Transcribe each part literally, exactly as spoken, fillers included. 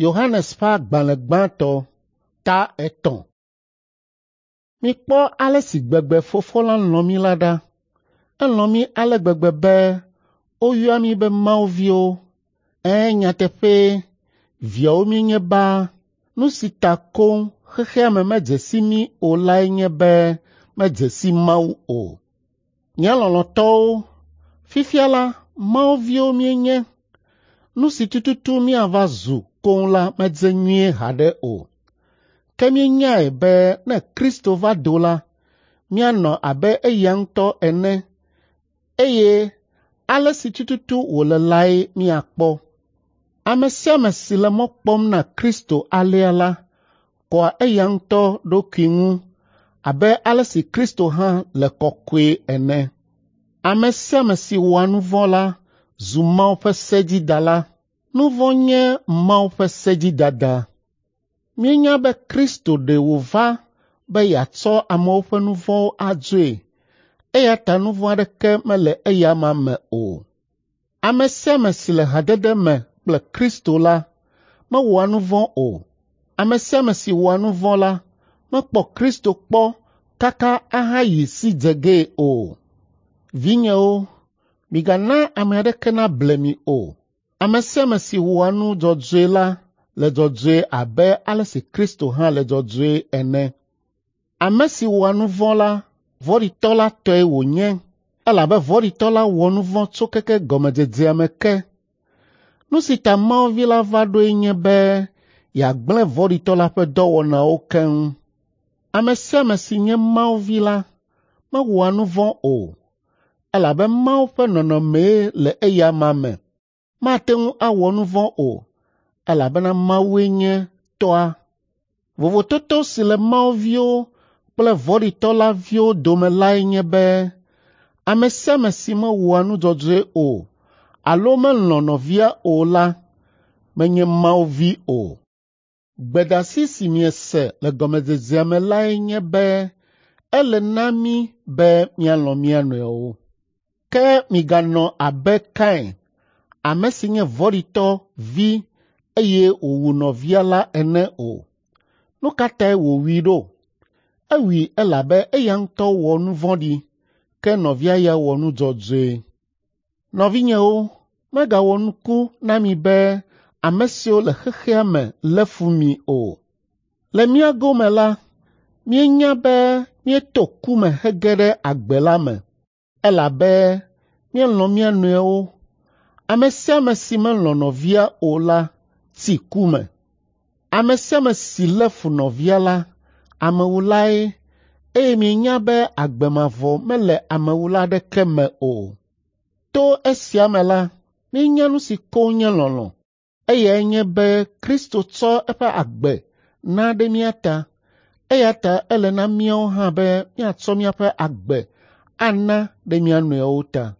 Yohanes ƒe agbalẽ gbãtɔ ta etɔ̃. Mikpɔ ale si gbegbe Fofo la lɔ̃ mí la ɖa. Elɔ̃ mí ale gbegbe be woyɔa mí be Mawu viwo. Ɛ̃, nyateƒee, viawo míenye baa. Nu si ta koŋ xexea me medze si mí o lae nye be medze si Mawu o. Nye lɔlɔ̃tɔwo, fifia la Mawu viwo míenye. Nu si tututu míava zu koŋ la medze nyuie haɖe o. Ke míenyae be ne Kristo va do la, míanɔ abe eya ŋutɔ ene eye ale si tututu wòle lae míakpɔ. Ame sia ame si le mɔ kpɔm na Kristo alea la, kɔa eya ŋutɔ ɖokui ŋu abe ale si Kristo hã le kɔkɔe ene. Ame sia ame si wɔa nu vɔ̃ la zu Mawu ƒe sedzidala. Nu vɔ̃ nye Mawu ƒe sedzidada. Míenya be Kristo ɖe wòva be yeatsɔ amewo ƒe nu vɔ̃wo adzoe eya ta nu vɔ̃ aɖeke mele eya amea me o. Ame sia ame si le hadede me kple Kristo la mewɔa nu vɔ̃ o. Ame sia ame si wɔa nu vɔ̃ la mekpɔ Kristo kpɔ kaka ahayi si dze gee o. Vinyewo, migana ame aɖeke nable mi o. Ame sia ame si wɔa nu dzɔdzɔe la le dzɔdzɔe abe ale si Kristo hã le dzɔdzɔe ene. Ame si wɔa nu vɔ̃ la, vɔ̃ɖitɔ la tɔe wònye elabe vɔ̃ɖitɔ la wɔ nu vɔ̃ tso keke gɔmedzedzea me ke. Nu si ta Mawu Vi la va ɖoe nye be yeagblẽ vɔ̃ɖitɔ la ƒe dɔwɔnawo keŋ. Ame sia ame si nye Mawu Vi la mewɔa nu vɔ̃ o, elabe Mawu ƒe nɔnɔmee le eya amea me. Mate ŋu awɔ nu vɔ̃ o, elabena Mawue nye tɔa. Vovototo si le Mawu viwo kple vɔ̃ɖitɔ la viwo dome lae nye be ame sia ame si mewɔa nu dzɔdzɔe o alo melɔ̃ nɔvia o la menye Mawu vi o. Gbedeasi si miese le gɔmedzedzea me lae nye be ele na mí be míalɔ̃ mía nɔewo. Ke miganɔ abe Kain, ame si nye vɔ̃ɖitɔ vi eye wòwu nɔvia la ene o. Nu ka tae wòwui ɖo? Ewui elabe eya ŋutɔ wɔ nu vɔ̃ɖi, ke nɔvia ya wɔ nu dzɔdzɔe. Nɔvinyewo, megawɔ nuku na mi be ame siwo le xexea me lé fu mi o. Le mía gome la, míenya be míeto ku me hege ɖe agbe la me, elabe míelɔ̃ mía nɔewo. Ame sia ame si melɔ̃ nɔvia o la tsi ku me. Ame sia ame si lé fu nɔvia la, amewulae eye mienya be agbe mavɔ mele amewula aɖeke me o. To esia me la, míenya nu si koŋ nye lɔlɔ̃. Eyae nye be Kristo tsɔ eƒe agbe na ɖe mía ta eya ta ele na míawo hã be míatsɔ míaƒe agbe ana ɖe mía nɔewo ta.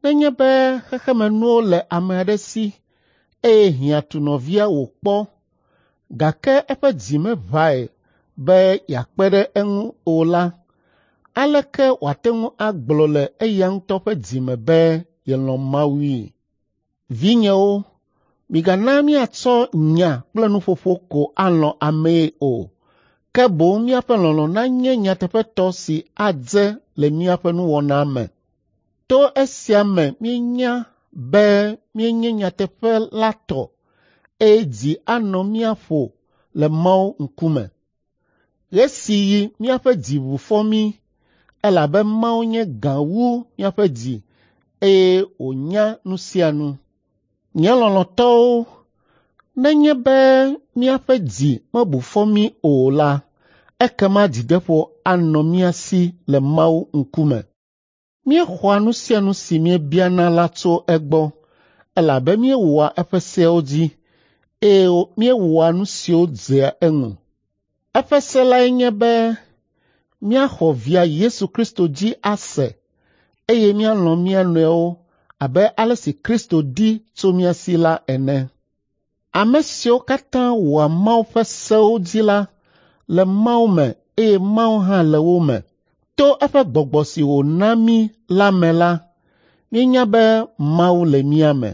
Nenye be xexemenuwo le ame aɖe si eye hiã tu nɔvia wòkpɔ gake eƒe dzi meʋãe be yeakpe ɖe eŋu o la, aleke wòate ŋu agblɔ le eya ŋutɔ ƒe dzi me be yelɔ̃ Mawui? Vinyewo, migana míatsɔ nya kple nuƒoƒo ko alɔ̃ amee o, ke boŋ míaƒe lɔlɔ̃ nanye nyateƒetɔ si adze le míaƒe nuwɔna me. To esia me míenya be míenye nyateƒe la tɔ eye dzi anɔ mía ƒo le Mawu ŋkume. Ɣe si ɣi míaƒe dzi ʋu fɔ mí elabe Mawu nye gã wu míaƒe dzi eye wònya nu sia nu. Nye lɔlɔ̃tɔwo, nenye be míaƒe dzi mebu fɔ mí o la, ekema dzideƒo anɔ mía si le Mawu ŋkume. Míexɔa nu sia nu si míebiana la tso egbɔ elabe míewɔa eƒe seawo dzi eye míewɔa nu siwo dzea eŋu. Eƒe se lae nye be míaxɔ via Yesu Kristo dzi ase eye míalɔ̃ mía nɔewo abe ale si Kristo di tso mía si la ene. Ame siwo katã wɔa Mawu ƒe sewo dzi la le Mawu me eye Mawu hã le wo me. To eƒe gbɔgbɔ si wòna mí la me la, míenya be Mawu le mía me.